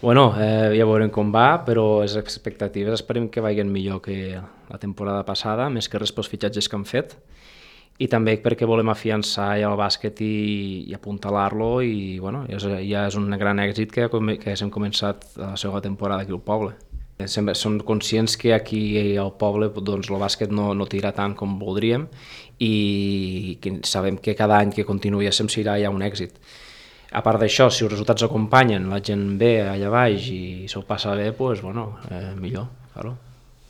Bueno, ja veurem com va, però les expectatives esperem que vagin millor que la temporada passada, més que res pels fitxatges que han fet, i també perquè volem afiançar ja el bàsquet i apuntalar-lo, i bueno, ja és un gran èxit que hem començat la segona temporada aquí al poble. Sempre som conscients que aquí al poble doncs, el bàsquet no tira tant com voldríem i que sabem que cada any que continuï sempre serà ja un èxit. A part d'això, si els resultats acompanyen, la gent ve allà baix i se'l passa bé, doncs, bueno, millor, claro.